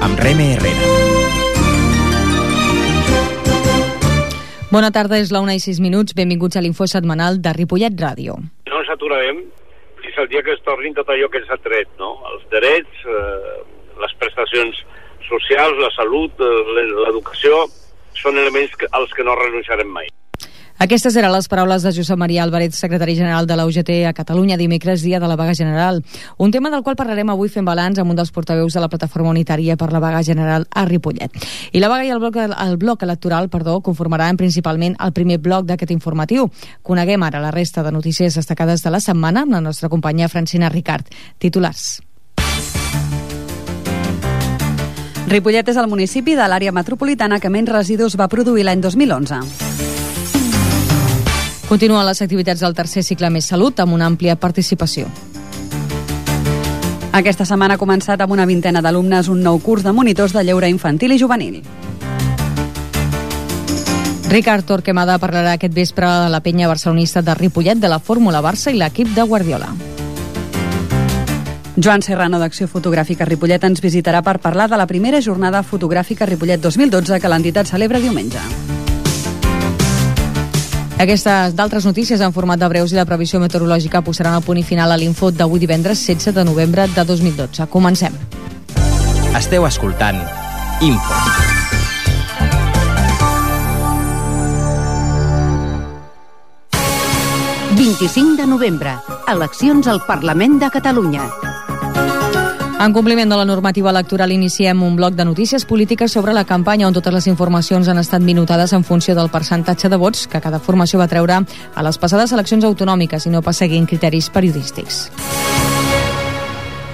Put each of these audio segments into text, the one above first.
amb Reme Herrera. Bona tarda, és la 1:06. Benvinguts a l'Info Setmanal de Ripollet Ràdio. No ens aturarem fins al dia que es tornin tot allò que ens ha tret, no? Els drets, les prestacions socials, la salut, l'educació, són elements als que no renunciarem mai. Aquestes eren les paraules de Josep Maria Álvarez, secretari general de la UGT a Catalunya, dimecres, dia de la vaga general. Un tema del qual parlarem avui fent balanç amb un dels portaveus de la Plataforma Unitària per la Vaga General a Ripollet. I la vaga i el bloc electoral, conformaran principalment el primer bloc d'aquest informatiu. Coneguem ara la resta de notícies destacades de la setmana amb la nostra companya Francina Ricard. Titulars. Ripollet és el municipi de l'àrea metropolitana que menys residus va produir l'any 2011. Continuen les activitats del tercer cicle Més Salut amb una àmplia participació. Aquesta setmana ha començat amb una vintena d'alumnes un nou curs de monitors de lleure infantil i juvenil. Ricard Torquemada parlarà aquest vespre a la penya barcelonista de Ripollet de la Fórmula Barça i l'equip de Guardiola. Joan Serrano, d'Acció Fotogràfica Ripollet, ens visitarà per parlar de la primera jornada fotogràfica Ripollet 2012 que l'entitat celebra diumenge. Aquestes d'altres notícies en format de breus i la previsió meteorològica posaran el punt i final a l'Info d'avui divendres 16 de novembre de 2012. Comencem. Esteu escoltant Info. El 25 de novembre, eleccions al Parlament de Catalunya. En compliment de la normativa electoral, iniciem un bloc de notícies polítiques sobre la campanya on totes les informacions han estat minutades en funció del percentatge de vots que cada formació va treure a les passades eleccions autonòmiques i no pas seguint criteris periodístics.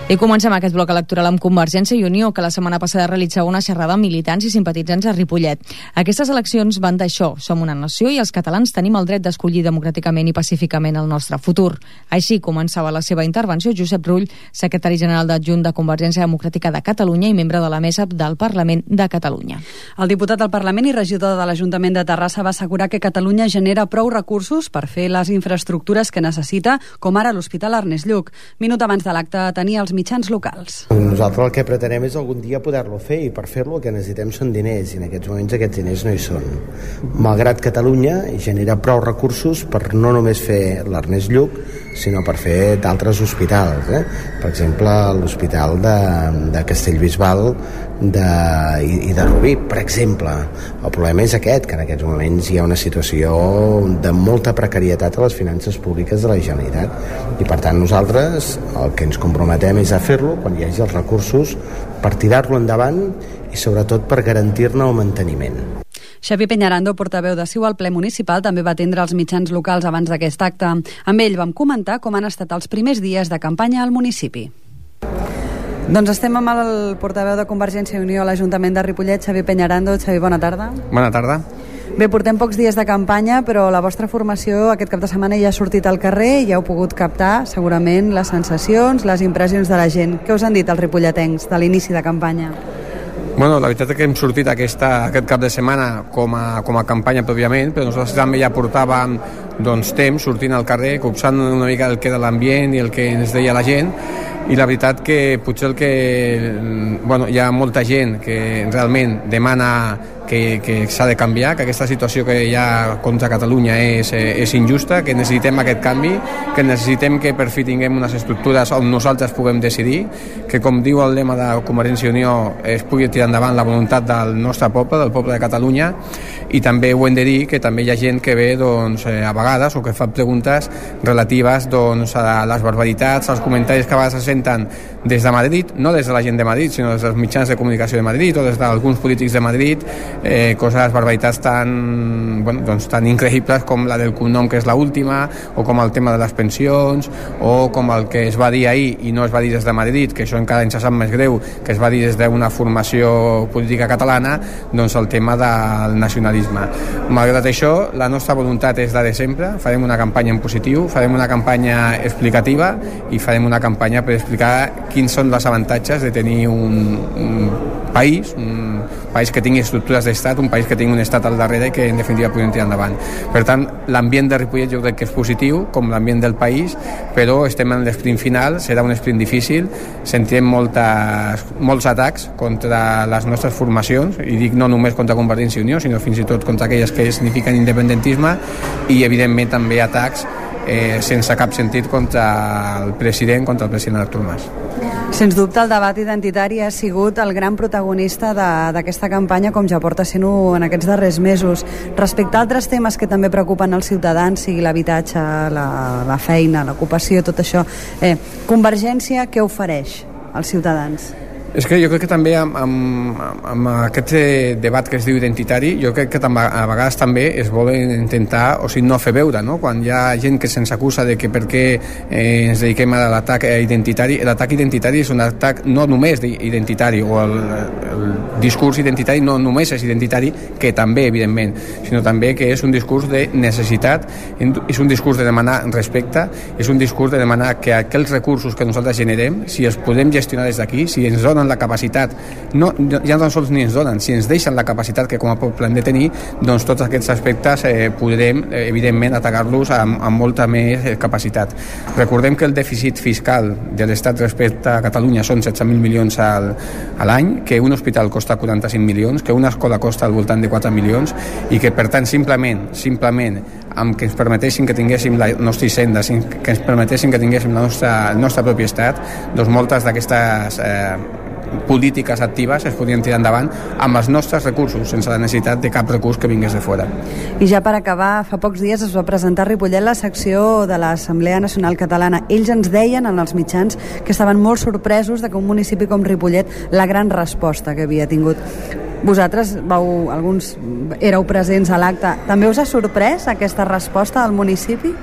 I comencem aquest bloc electoral amb Convergència i Unió, que la setmana passada realitzava una xerrada amb militants i simpatitzants a Ripollet. Aquestes eleccions van d'això, som una nació i els catalans tenim el dret d'escollir democràticament i pacíficament el nostre futur. Així començava la seva intervenció Josep Rull, secretari general adjunt de Convergència Democràtica de Catalunya i membre de la mesa del Parlament de Catalunya. El diputat del Parlament i regidor de l'Ajuntament de Terrassa va assegurar que Catalunya genera prou recursos per fer les infraestructures que necessita, com ara l'Hospital Ernest Lluch. Minut abans de l'acte tenia els mitjans locals. Nosaltres el que pretenem és algun dia poder-lo fer i per fer-lo el que necessitem són diners i en aquests moments aquests diners no hi són. Malgrat Catalunya genera prou recursos per no només fer l'Ernest Lluch sinó per fer d'altres hospitals, per exemple l'Hospital de Castellbisbal i de Rubí, per exemple. El problema és aquest, que en aquests moments hi ha una situació de molta precarietat a les finances públiques de la Generalitat i per tant nosaltres el que ens comprometem és a fer-lo quan hi hagi els recursos per tirar-lo endavant i sobretot per garantir-ne el manteniment. Xavier Peñarando, portaveu de CiU al ple municipal, també va atendre els mitjans locals abans d'aquest acte. Amb ell vam comentar com han estat els primers dies de campanya al municipi. Doncs estem amb el portaveu de Convergència i Unió a l'Ajuntament de Ripollet, Xavier Peñarando. Xavier, bona tarda. Bona tarda. Bé, portem pocs dies de campanya, però la vostra formació aquest cap de setmana ja ha sortit al carrer i ja heu pogut captar segurament les sensacions, les impressions de la gent. Què us han dit els ripolletens de l'inici de campanya? Bueno, la veritat és que hem sortit aquest cap de setmana com a campanya pròpiament, però nosaltres també ja portàvem temps sortint al carrer, copsant una mica el que era l'ambient i el que ens deia la gent, i la veritat que potser hi ha molta gent que realment demana que s'ha de canviar, que aquesta situació que hi ha contra Catalunya és injusta, que necessitem aquest canvi, que necessitem que per fi tinguem unes estructures on nosaltres puguem decidir, que com diu el lema de Convergència i Unió es pugui tirar endavant la voluntat del nostre poble, del poble de Catalunya, i també ho hem de dir que també hi ha gent que ve a vegades o que fa preguntes relatives a les barbaritats, als comentaris que a vegades se senten des de Madrid, no des de la gent de Madrid, sinó des dels mitjans de comunicació de Madrid o des d'alguns polítics de Madrid, coses, barbaritats tan increïbles com la del cognom que és l'última, o com el tema de les pensions, o com el que es va dir ahir i no es va dir des de Madrid, que això encara ens sap més greu, que es va dir des d'una formació política catalana, el tema del nacionalisme. Malgrat això, la nostra voluntat és la de sempre, sempre, farem una campanya en positiu, farem una campanya explicativa i farem una campanya per explicar quins són els avantatges de tenir un país que tingui estructures d'estat, un país que tingui un estat al darrere i que en definitiva puguem tirar endavant. Per tant, l'ambient de Ripollet jo crec que és positiu, com l'ambient del país, però estem en l'esprint final, serà un esprint difícil, sentirem molts atacs contra les nostres formacions, i dic no només contra Convergència i Unió, sinó fins i tot contra aquelles que signifiquen independentisme, i evidentment també atacs sense cap sentit contra el president Artur Mas. Sens dubte el debat identitari ha sigut el gran protagonista d'aquesta campanya, com ja porta sent-ho en aquests darrers mesos. Respecte a altres temes que també preocupen els ciutadans, sigui l'habitatge, la feina, l'ocupació, tot això, Convergència què ofereix als ciutadans? És que jo crec que també amb aquest debat que es diu identitari, jo crec que a vegades també es volen intentar, o sigui, no fer veure, no? Quan hi ha gent que se'ns acusa de que per què ens dediquem a l'atac identitari, l'atac identitari és un atac no només identitari, o el discurs identitari no només és identitari, que també, evidentment, sinó també que és un discurs de necessitat, és un discurs de demanar respecte, és un discurs de demanar que aquells recursos que nosaltres generem, si els podem gestionar des d'aquí, si ens donen la capacitat, ja no tan sols ni ens donen, si ens deixen la capacitat que com a poble hem de tenir, doncs tots aquests aspectes podrem, evidentment, atacar-los amb molta més capacitat. Recordem que el dèficit fiscal de l'Estat respecte a Catalunya són 16.000 milions a l'any, que un hospital costa 45 milions, que una escola costa al voltant de 4 milions, i que, per tant, simplement, amb que ens permetessin que tinguéssim la nostra hisenda, que ens permetessin que tinguéssim el nostre propi estat, doncs moltes d'aquestes polítiques actives es podien tirar endavant amb els nostres recursos, sense la necessitat de cap recurs que vingués de fora. I ja per acabar, fa pocs dies es va presentar a Ripollet la secció de l'Assemblea Nacional Catalana. Ells ens deien en els mitjans que estaven molt sorpresos de que un municipi com Ripollet, la gran resposta que havia tingut. Vosaltres alguns éreu presents a l'acte. També us ha sorprès aquesta resposta del municipi?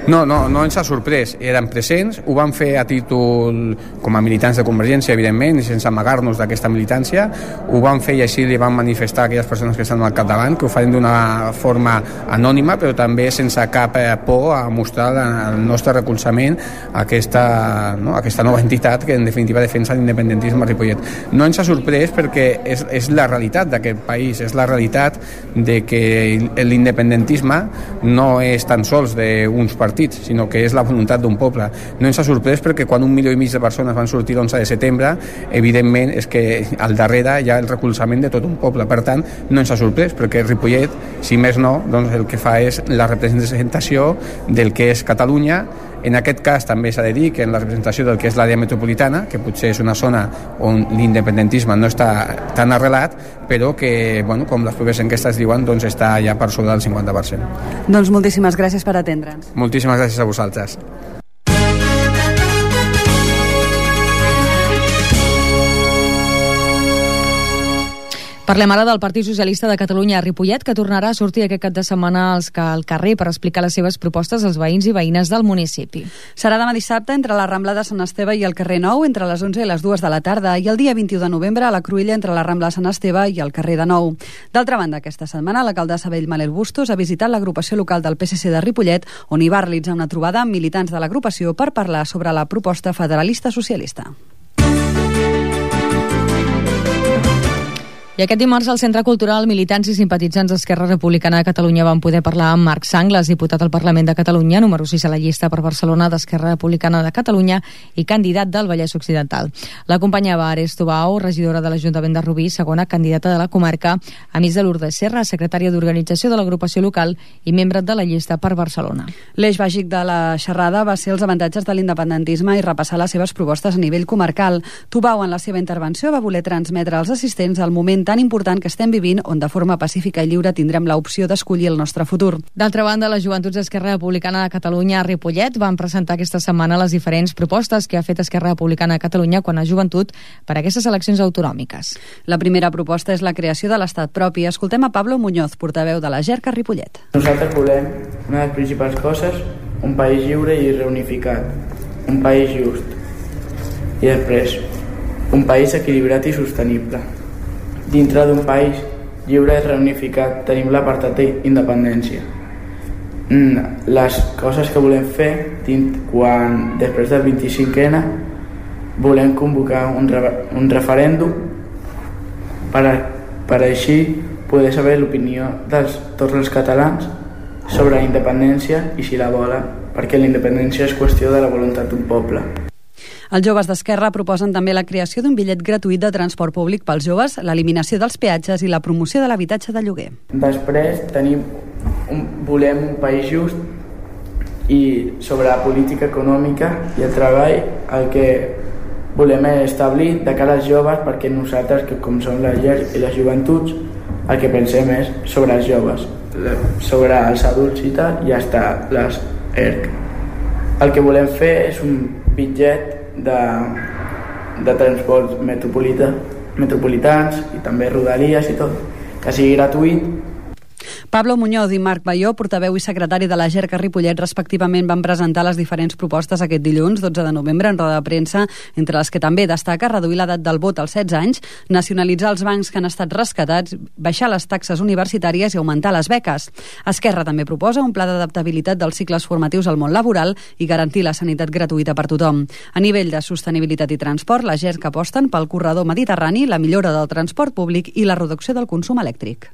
No ens ha sorprès, érem presents, ho vam fer a títol com a militants de Convergència, evidentment, i sense amagar-nos d'aquesta militància, ho vam fer i així li vam manifestar a aquelles persones que estan al capdavant, que ho farem d'una forma anònima, però també sense cap por a mostrar el nostre recolzament a aquesta nova entitat que en definitiva defensa l'independentisme a Ripollet. No ens ha sorprès perquè és la realitat d'aquest país, és la realitat de que l'independentisme no és tan sols d'uns partits, sinó que és la voluntat d'un poble. No ens ha sorprès perquè quan 1,5 milió de persones van sortir l'11 de setembre, evidentment és que al darrere hi ha el recolzament de tot un poble. Per tant, no ens ha sorprès perquè Ripollet, si més no, doncs el que fa és la representació del que és Catalunya. En aquest cas també s'ha de dir que en la representació del que és l'àrea metropolitana, que potser és una zona on l'independentisme no està tan arrelat, però que, com les properes enquestes diuen, doncs està ja per sobre del 50%. Doncs moltíssimes gràcies per atendre'ns. Moltíssimes gràcies a vosaltres. Parlem ara del Partit Socialista de Catalunya a Ripollet, que tornarà a sortir aquest cap de setmana al carrer per explicar les seves propostes als veïns i veïnes del municipi. Serà demà dissabte entre la Rambla de Sant Esteve i el carrer Nou, entre les 11 i les 2 de la tarda, i el dia 21 de novembre a la Cruïlla entre la Rambla de Sant Esteve i el carrer de Nou. D'altra banda, aquesta setmana l'alcaldessa Bellmanel Bustos ha visitat l'agrupació local del PSC de Ripollet, on hi va realitzar una trobada amb militants de l'agrupació per parlar sobre la proposta federalista socialista. I aquest dimarts al Centre Cultural, militants i simpatitzants d'Esquerra Republicana de Catalunya van poder parlar amb Marc Sanglas, diputat al Parlament de Catalunya, número 6 a la llista per Barcelona d'Esquerra Republicana de Catalunya i candidat del Vallès Occidental. L'acompanyava Ares Tubau, regidora de l'Ajuntament de Rubí, segona candidata de la comarca, amics de Lourdes Serra, secretària d'organització de l'agrupació local i membre de la llista per Barcelona. L'eix bàsic de la xerrada va ser els avantatges de l'independentisme i repassar les seves propostes a nivell comarcal. Tubau, en la seva intervenció, va voler transmetre als assistents el moment tan important que estem vivint, on de forma pacífica i lliure tindrem l'opció d'escollir el nostre futur. D'altra banda, les joventuts d'Esquerra Republicana de Catalunya a Ripollet van presentar aquesta setmana les diferents propostes que ha fet Esquerra Republicana de Catalunya quan a joventut per a aquestes eleccions autonòmiques. La primera proposta és la creació de l'estat propi. Escoltem a Pablo Muñoz, portaveu de la JERC a Ripollet. Nosaltres volem, una de les principals coses, un país lliure i reunificat, un país just, i després, un país equilibrat i sostenible. Dintre d'un país lliure i reunificat tenim l'apartat d'independència. les coses que volem fer quan després del 25N volem convocar un referèndum per així poder saber l'opinió de tots els catalans sobre la independència i si la volen, perquè la independència és qüestió de la voluntat d'un poble. Els joves d'Esquerra proposen també la creació d'un bitllet gratuït de transport públic pels joves, l'eliminació dels peatges i la promoció de l'habitatge de lloguer. Després volem un país just i sobre la política econòmica i el treball el que volem establir de cara als joves, perquè nosaltres, que com som la llar i les joventuts, el que pensem és sobre els joves, sobre els adults i tal, i hasta les ERC. El que volem fer és un bitllet de transports metropolitans i també rodalies i tot, que sigui gratuït. Pablo Muñoz i Marc Baió, portaveu i secretari de la GERC a Ripollet, respectivament, van presentar les diferents propostes aquest dilluns, 12 de novembre, en roda de premsa, entre les que també destaca reduir l'edat del vot als 16 anys, nacionalitzar els bancs que han estat rescatats, baixar les taxes universitàries i augmentar les beques. Esquerra també proposa un pla d'adaptabilitat dels cicles formatius al món laboral i garantir la sanitat gratuïta per tothom. A nivell de sostenibilitat i transport, la GERC aposten pel corredor mediterrani, la millora del transport públic i la reducció del consum elèctric.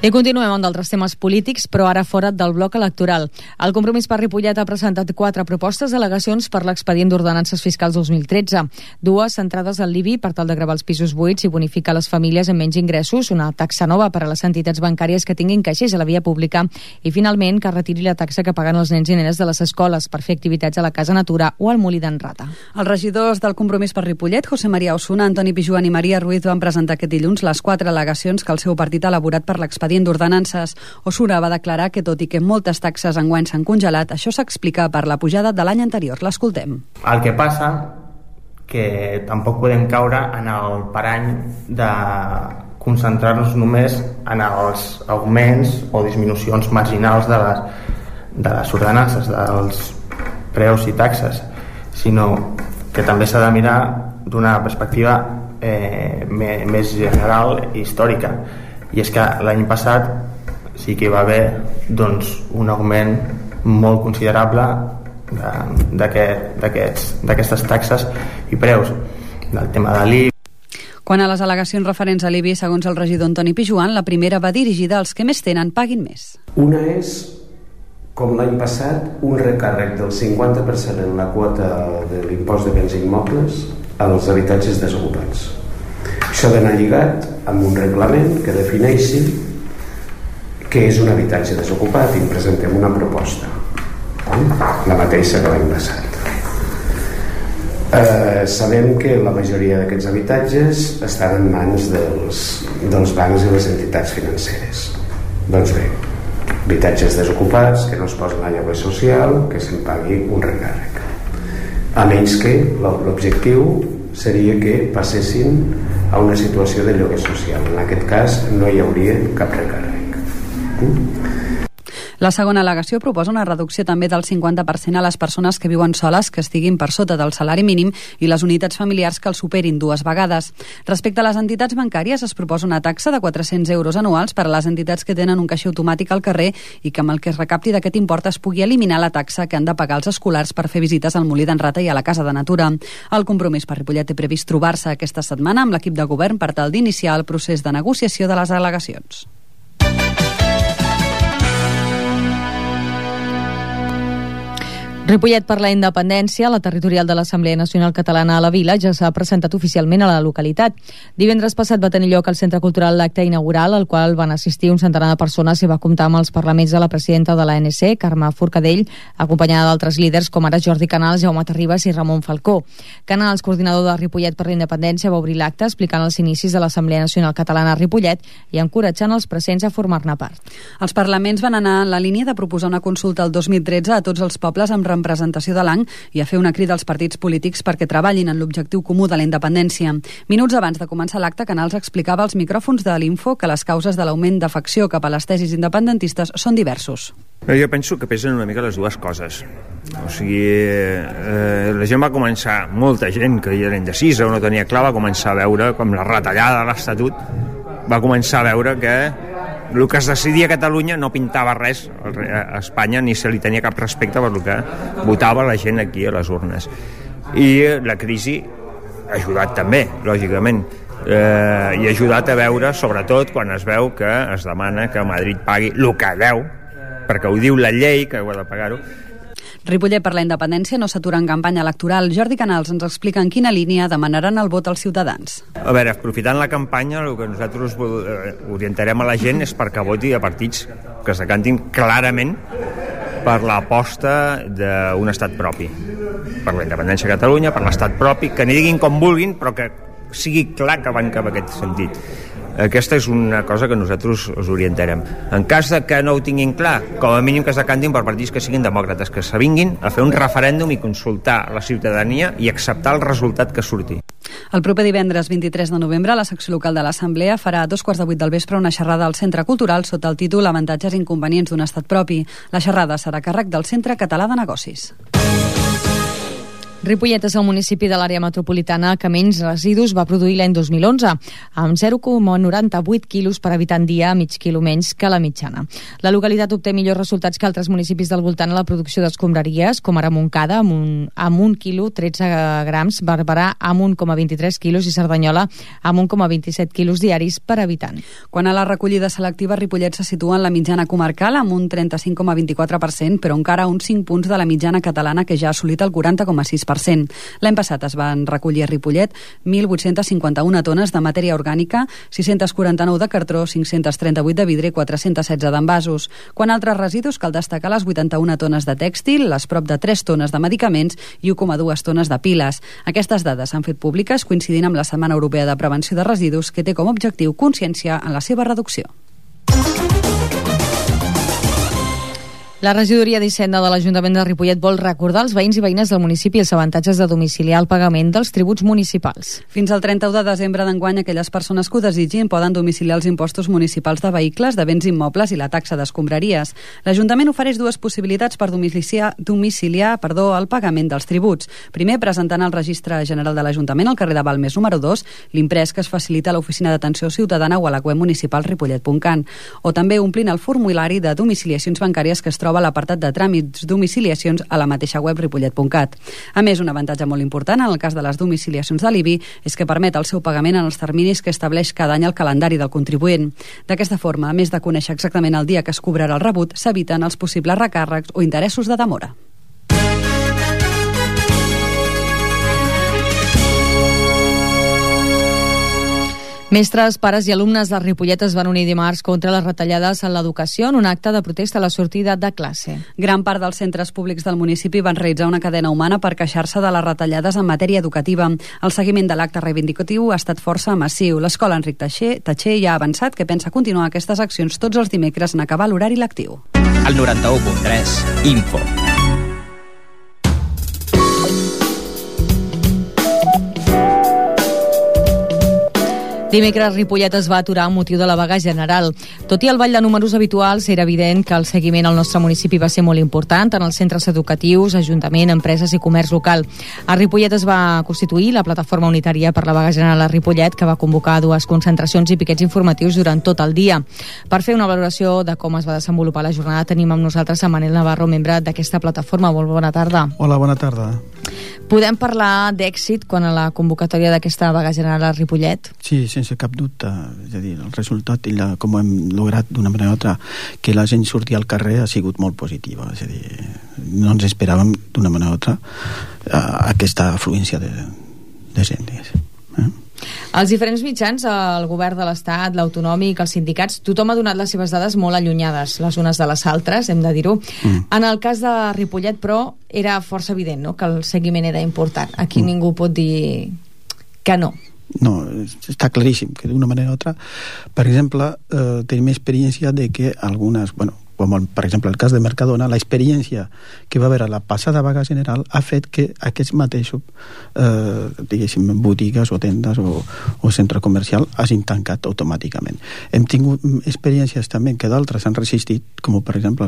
I continuem amb d'altres temes polítics, però ara fora del bloc electoral. El Compromís per Ripollet ha presentat 4 propostes d'al·legacions per l'expedient d'ordenances fiscals 2013. 2 centrades al l'IBI per tal de gravar els pisos buits i bonificar les famílies amb menys ingressos, una taxa nova per a les entitats bancàries que tinguin caixers a la via pública i, finalment, que retiri la taxa que paguen els nens i nenes de les escoles per fer activitats a la Casa Natura o al Molí d'en Rata. Els regidors del Compromís per Ripollet, José María Osuna, Antoni Pijuan i Maria Ruiz, van presentar aquest dilluns les 4 al·legacions que el seu partit ha elaborat per l'expedient d'ordenances. Osuna va declarar que, tot i que moltes taxes enguany s'han congelat, això s'explica per la pujada de l'any anterior. L'escoltem. El que passa que tampoc podem caure en el parany de concentrar-nos només en els augments o disminucions marginals de les ordenances, dels preus i taxes, sinó que també s'ha de mirar d'una perspectiva més general i històrica. I és que l'any passat sí que hi va haver un augment molt considerable d'aquestes taxes i preus, del tema de l'IBI. Quan a les al·legacions referents a l'IBI, segons el regidor Antoni Pijuan, la primera va dirigida als que més tenen paguin més. Una és, com l'any passat, un recàrrec del 50% en la quota de l'impost de béns immobles als habitatges desocupats. Això ha d'anar lligat amb un reglament que defineixi què és un habitatge desocupat i presentem una proposta, la mateixa que l'any passat. Sabem que la majoria d'aquests habitatges estan en mans dels bancs i les entitats financeres. Doncs bé, habitatges desocupats que no es posen a lloguer social, que se'n pagui un recàrrec, a menys que l'objectiu seria que passessin a una situació de lloguer social. En aquest cas no hi hauria cap recàrrec. La segona al·legació proposa una reducció també del 50% a les persones que viuen soles que estiguin per sota del salari mínim i les unitats familiars que el superin 2 vegades. Respecte a les entitats bancàries, es proposa una taxa de 400 euros anuals per a les entitats que tenen un caixer automàtic al carrer i que amb el que es recapti d'aquest import es pugui eliminar la taxa que han de pagar els escolars per fer visites al Molí d'en Rata i a la Casa de Natura. El Compromís per Ripollet té previst trobar-se aquesta setmana amb l'equip de govern per tal d'iniciar el procés de negociació de les al·legacions. Ripollet per la independència, la territorial de l'Assemblea Nacional Catalana a la Vila ja s'ha presentat oficialment a la localitat. Divendres passat va tenir lloc al Centre Cultural l'acte inaugural, al qual van assistir un centenar de persones i va comptar amb els parlaments de la presidenta de l'ANC, Carme Forcadell, acompanyada d'altres líders com ara Jordi Canals, Jaume Terribas i Ramon Falcó. Canals, coordinador de Ripollet per la independència, va obrir l'acte explicant els inicis de l'Assemblea Nacional Catalana a Ripollet i encoratjant els presents a formar-ne part. Els parlaments van anar en la línia de proposar una consulta el 2013 a tots els pobles amb representació de l'any i a fer una crida als partits polítics perquè treballin en l'objectiu comú de la independència. Minuts abans de començar l'acte, Canals explicava als micròfons de l'Info que les causes de l'augment d'afecció cap a les tesis independentistes són diversos. Jo penso que pesen una mica les dues coses. O sigui, la gent va començar, molta gent que era indecisa o no tenia clar, va començar a veure com la retallada de l'Estatut, va començar a veure que el que es decidia a Catalunya no pintava res a Espanya, ni se li tenia cap respecte per el que votava la gent aquí a les urnes. I la crisi ha ajudat també, lògicament, i ha ajudat a veure, sobretot quan es veu que es demana que Madrid pagui el que deu, perquè ho diu la llei que ho ha de pagar-ho. Ripollet per la independència no s'atura en campanya electoral. Jordi Canals ens explica en quina línia demanaran el vot als ciutadans. A veure, aprofitant la campanya, el que nosaltres orientarem a la gent és perquè voti a partits que s'acantin clarament per l'aposta d'un estat propi, per la independència de Catalunya, per l'estat propi, que n'hi diguin com vulguin, però que sigui clar que van cap a aquest sentit. Aquesta és una cosa que nosaltres us orientarem. En cas de que no ho tinguin clar, com a mínim que es decantin per partits que siguin demòcrates, que s'avinguin a fer un referèndum i consultar la ciutadania i acceptar el resultat que surti. El proper divendres 23 de novembre, la secció local de l'Assemblea farà a 2:15 del vespre una xerrada al Centre Cultural sota el títol Avantatges i inconvenients d'un estat propi. La xerrada serà a càrrec del Centre Català de Negocis. Ripollet és el municipi de l'àrea metropolitana que menys residus va produir l'any 2011, amb 0,98 quilos per habitant dia, mig quilo menys que la mitjana. La localitat obté millors resultats que altres municipis del voltant a la producció d'escombraries, com ara Montcada, amb 1 quilo 13 grams, Barberà amb 1,23 quilos i Cerdanyola amb 1,27 quilos diaris per habitant. Quan a la recollida selectiva, Ripollet se situa en la mitjana comarcal amb un 35,24%, però encara uns 5 punts de la mitjana catalana, que ja ha assolit el 40,6%. L'any passat es van recollir a Ripollet 1.851 tones de matèria orgànica, 649 de cartró, 538 de vidre i 416 d'envasos. Quan a altres residus cal destacar les 81 tones de tèxtil, les prop de 3 tones de medicaments i 1,2 tones de piles. Aquestes dades s'han fet públiques coincidint amb la Setmana Europea de Prevenció de Residus, que té com a objectiu conscienciar en la seva reducció. La regidoria d'Hisenda de l'Ajuntament de Ripollet vol recordar als veïns i veïnes del municipi els avantatges de domiciliar el pagament dels tributs municipals. Fins al 31 de desembre d'enguany, aquelles persones que ho desitgin poden domiciliar els impostos municipals de vehicles, de béns immobles i la taxa d'escombraries. L'Ajuntament ofereix dues possibilitats per domiciliar el pagament dels tributs. Primer, presentant al Registre General de l'Ajuntament, al carrer de Balmes número 2, l'imprès que es facilita a l'Oficina d'Atenció Ciutadana o a la web municipal ripollet.cat. O també omplint el formulari de domiciliacions bancàries que es troba a l'apartat de tràmits domiciliacions a la mateixa web ripollet.cat. A més, un avantatge molt important en el cas de les domiciliacions de l'IBI és que permet el seu pagament en els terminis que estableix cada any el calendari del contribuent. D'aquesta forma, a més de conèixer exactament el dia que es cobrarà el rebut, s'eviten els possibles recàrrecs o interessos de demora. Mestres, pares i alumnes de Ripollet es van unir dimarts contra les retallades en l'educació en un acte de protesta a la sortida de classe. Gran part dels centres públics del municipi van realitzar una cadena humana per queixar-se de les retallades en matèria educativa. El seguiment de l'acte reivindicatiu ha estat força massiu. L'escola Enric Tatxer ja ha avançat que pensa continuar aquestes accions tots els dimecres en acabar l'horari lectiu. El 91.3 Info. Dimecres, Ripollet es va aturar amb motiu de la vaga general. Tot i el ball de números habituals, era evident que el seguiment al nostre municipi va ser molt important en els centres educatius, ajuntament, empreses i comerç local. A Ripollet es va constituir la plataforma unitària per la vaga general a Ripollet, que va convocar dues concentracions i piquets informatius durant tot el dia. Per fer una valoració de com es va desenvolupar la jornada, tenim amb nosaltres a Manel Navarro, membre d'aquesta plataforma. Molt bona tarda. Hola, bona tarda. Podem parlar d'èxit quan a la convocatòria d'aquesta vaga general a Ripollet? Sí, sense cap dubte. És a dir, el resultat i com hem lograt d'una manera o altra que la gent surti al carrer ha sigut molt positiva. És a dir, no ens esperàvem d'una manera o altra aquesta afluència de gent. Els diferents mitjans, el govern de l'Estat, l'autonòmic, els sindicats, tothom ha donat les seves dades molt allunyades les unes de les altres, hem de dir-ho. En el cas de Ripollet, però, era força evident, no?, que el seguiment era important. Aquí ningú pot dir que no. No, està claríssim que d'una manera o altra, per exemple, tenim experiència de que algunes, com per exemple el cas de Mercadona, l'experiència que va haver a la passada vaga general ha fet que aquests mateixos diguéssim, botigues o tendes o centre comercial hagin tancat automàticament. Hem tingut experiències també que d'altres han resistit, com per exemple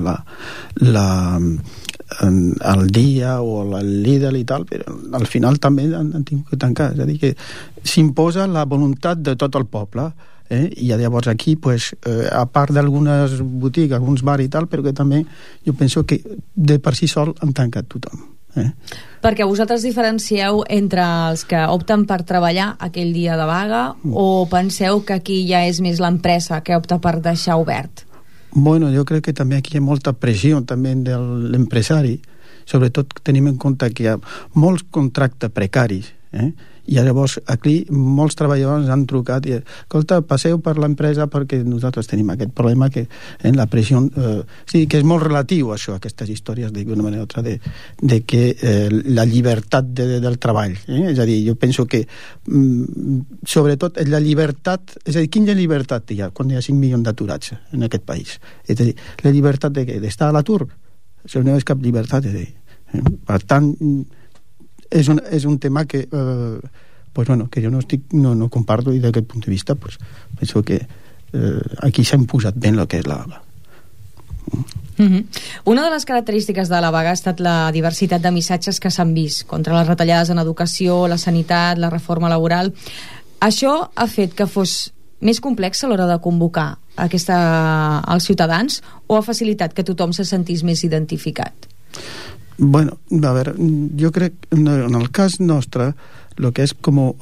el Dia o el Lidl i tal, però al final també han tingut que tancar. És a dir, que s'imposa la voluntat de tot el poble. I llavors aquí, a part d'algunes botigues, alguns bars i tal, però que també jo penso que de per si sol han tancat tothom. Perquè vosaltres diferencieu entre els que opten per treballar aquell dia de vaga o penseu que aquí ja és més l'empresa que opta per deixar obert? Bueno, jo crec que també aquí hi ha molta pressió també de l'empresari, sobretot tenim en compte que hi ha molts contractes precaris, i llavors aquí molts treballadors han trucat i escolta, passeu per l'empresa perquè nosaltres tenim aquest problema que en la pressió sí, que és molt relatiu això, aquestes històries d'una manera o altra de que la llibertat del treball, és a dir, jo penso que sobretot la llibertat, és a dir, quina llibertat hi ha quan hi ha 5 milions d'aturats en aquest país? És a dir, la llibertat d'estar a l'atur, això no és cap llibertat, és a dir, per tant és un tema que que jo no comparto, i d'aquest punt de vista penso que aquí s'ha imposat ben el que és la vaga. Una de les característiques de la vaga ha estat la diversitat de missatges que s'han vist contra les retallades en educació, la sanitat, la reforma laboral. Això ha fet que fos més complex a l'hora de convocar als ciutadans o ha facilitat que tothom se sentís més identificat? Bueno, a veure, jo crec en el cas nostre el que és com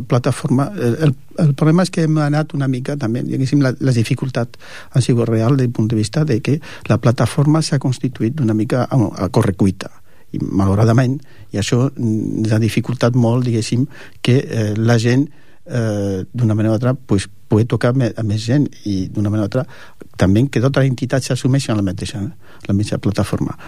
plataforma, el problema és que hem anat una mica també, diguéssim, la dificultat ha sigut real des del punt de vista de que la plataforma s'ha constituït una mica a correcuita i malauradament, i això ens ha dificultat molt, diguéssim, que la gent d'una manera o altra pugui tocar a més gent i d'una manera o altra també que totes les entitats s'assumeixen a la mateixa plataforma.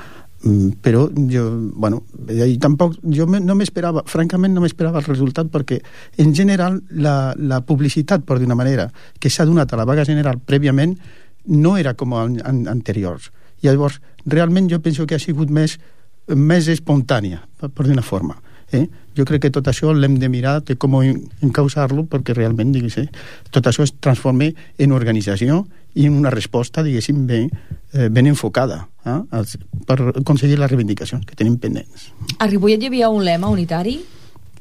Però jo no m'esperava, francament no m'esperava el resultat, perquè en general la publicitat, per d'una manera, que s'ha donat a la vaga general prèviament no era com anteriors. I llavors realment jo penso que ha sigut més espontània, per d'una forma. Jo crec que tot això l'hem de mirar de com encausar-lo, perquè realment tot això es transforma en organització i en una resposta, diguéssim, ben enfocada per aconseguir les reivindicacions que tenim pendents. A Ripollet hi havia un lema unitari?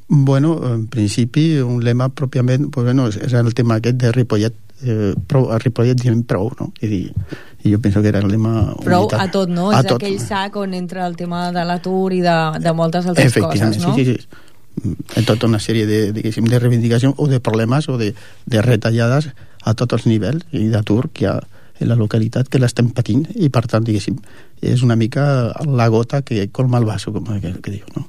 Bueno, en principi, un lema pròpiament, és el tema aquest de Ripollet, a Ripollet diem prou, no? I jo penso que era el lema prou unitari. A tot, no? És aquell sac on entra el tema de l'atur i de moltes altres coses, no? Sí. Tota una sèrie de reivindicacions o de problemes o de retallades a tots els nivells i d'atur que hi ha en la localitat, que l'estem patint, i per tant, diguéssim, és una mica la gota que colma el vaso, com que diu, no?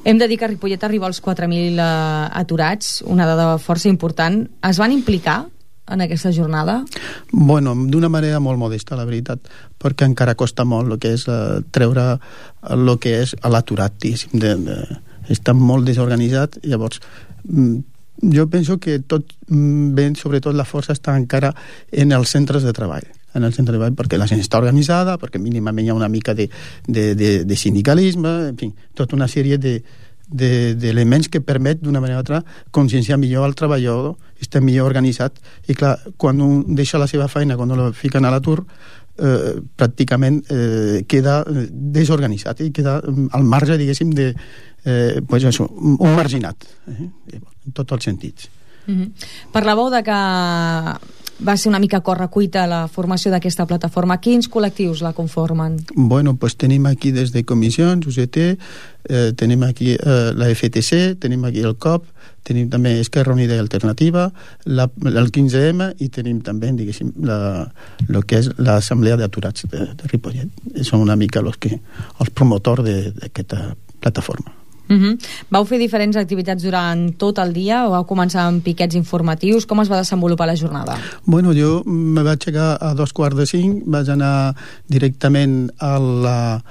Hem de dir que a Ripollet arriba als 4.000 aturats, una dada força important. Es van implicar en aquesta jornada? Bueno, d'una manera molt modesta, la veritat, perquè encara costa molt el que és treure el que és l'aturat, diguéssim, està molt desorganitzat. Llavors jo penso que tot ben, sobretot la força està encara en els centres de treball, perquè la gent està organitzada, perquè mínimament hi ha una mica de sindicalisme, en fi, tota una sèrie d'elements que permet d'una manera o altra conscienciar millor al treballador, està millor organitzat, i clar, quan un deixa la seva feina, quan el fiquen a l'atur, pràcticament queda desorganitzat i queda al marge, diguéssim, un marginat, en tots els sentits. Parlàveu de que va ser una mica correcuita la formació d'aquesta plataforma. Quins col·lectius la conformen? Bueno, pues tenim aquí des de comissions, UGT, tenim aquí la FTC, tenim aquí el COP, tenim també Esquerra Unida i Alternativa, el 15M, i tenim també, diguéssim, el que és l'Assemblea d'Aturats de Ripollet. Són una mica els promotors d'aquesta plataforma. Vau fer diferents activitats durant tot el dia o vau començar amb piquets informatius? Com es va desenvolupar la jornada? Bueno, jo me vaig aixecar a 4:45, vaig anar directament als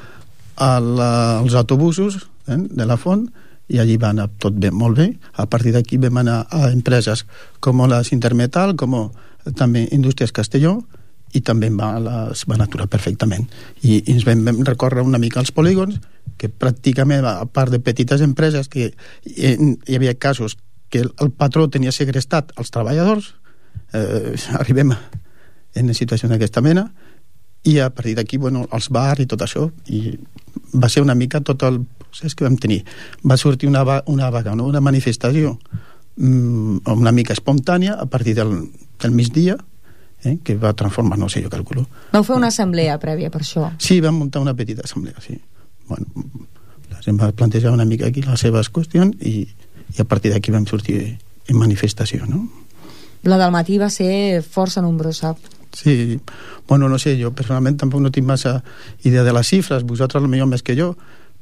autobusos de la Font, i allí va anar tot bé, molt bé. A partir d'aquí vam anar a empreses com la Sintermetal, com també Indústries Castelló, i també es van aturar perfectament. I ens vam recórrer una mica als polígons, que pràcticament, a part de petites empreses, que hi havia casos que el patró tenia segrestat als treballadors, arribem en una situació d'aquesta mena, i a partir d'aquí, els bars i tot això, i va ser una mica tot el procés que vam tenir. Va sortir una vaga, una manifestació una mica espontània a partir del migdia, que va transformar, no sé, jo calculo. Vau fer una assemblea prèvia per això? Sí, vam muntar una petita assemblea, sí. Bueno, la gent va plantejar una mica aquí les seves qüestions i a partir d'aquí vam sortir en manifestació, no? La del matí va ser força nombrosa. Sí, bueno, no sé, jo personalment tampoc no tinc massa idea de les xifres, vosaltres potser més que jo,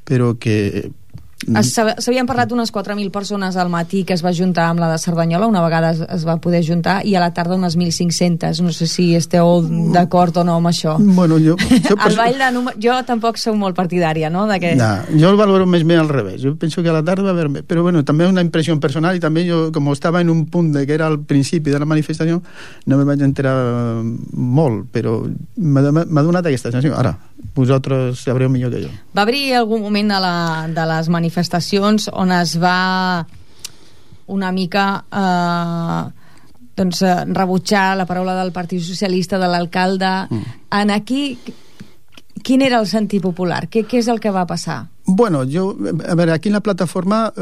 però que... S'havien parlat d'unes 4.000 persones al matí que es va juntar amb la de Cerdanyola, una vegada es va poder juntar, i a la tarda unes 1.500. No sé si esteu d'acord o no amb això. Bueno, jo tampoc sou molt partidària, no? No, jo el valoro més bé al revés. Jo penso que a la tarda va haver més. Però bueno, també una impressió personal, i també jo, com estava en un punt que era al principi de la manifestació, no me vaig enterar molt, però m'ha donat aquesta sensació. Ara, vosaltres sabreu millor que jo. Va haver algun moment de les manifestacions on es va una mica rebutjar la paraula del Partit Socialista, de l'alcalde. En aquí, quin era el sentit popular? Què és el que va passar? Bueno, a veure, aquí en la plataforma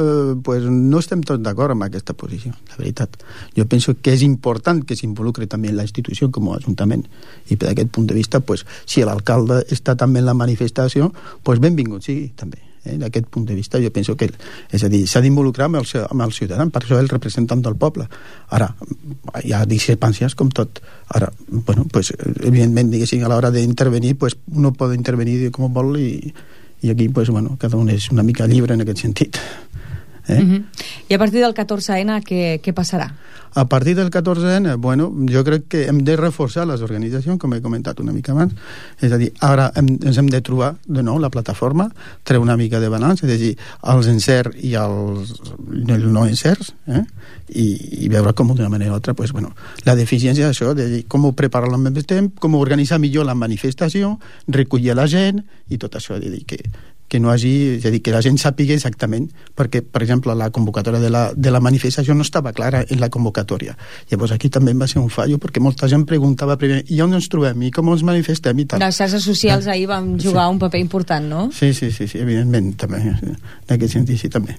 pues no estem tots d'acord amb aquesta posició, la veritat. Jo penso que és important que s'involucre també la institució com a ajuntament, i per aquest punt de vista, pues, si l'alcalde està també en la manifestació, pues benvingut sigui també. D'aquest punt de vista jo penso que és a dir, s'ha d'involucrar amb el ciutadà, per això el representant del poble. Ara, hi ha discrepàncies com tot. Ara, bueno, pues, evidentment, diguéssim, a l'hora d'intervenir, pues, uno pot intervenir com vol i aquí, pues, bueno, cada un és una mica lliure en aquest sentit. I a partir del 14N què passarà? A partir del 14N, bueno, jo crec que hem de reforçar les organitzacions, com he comentat una mica abans. És a dir, ara ens hem de trobar de nou la plataforma, treure una mica de balanç, és a dir, els encerts i els no encerts, i veure com d'una manera o altra, pues, bueno, la deficiència d'això, de dir, com preparar-la al mateix temps, com organitzar millor la manifestació, recollir la gent, i tot això, de dir que no hagi, és a dir, que la gent sàpiga exactament, perquè, per exemple, la convocatòria de la manifestació no estava clara en la convocatòria. Llavors aquí també va ser un fallo, perquè molta gent preguntava primer, i on ens trobem, i com ens manifestem, i tal. Les xarxes socials ahir van jugar un paper important, no? Sí, evidentment, també, en aquest sentit, sí, també.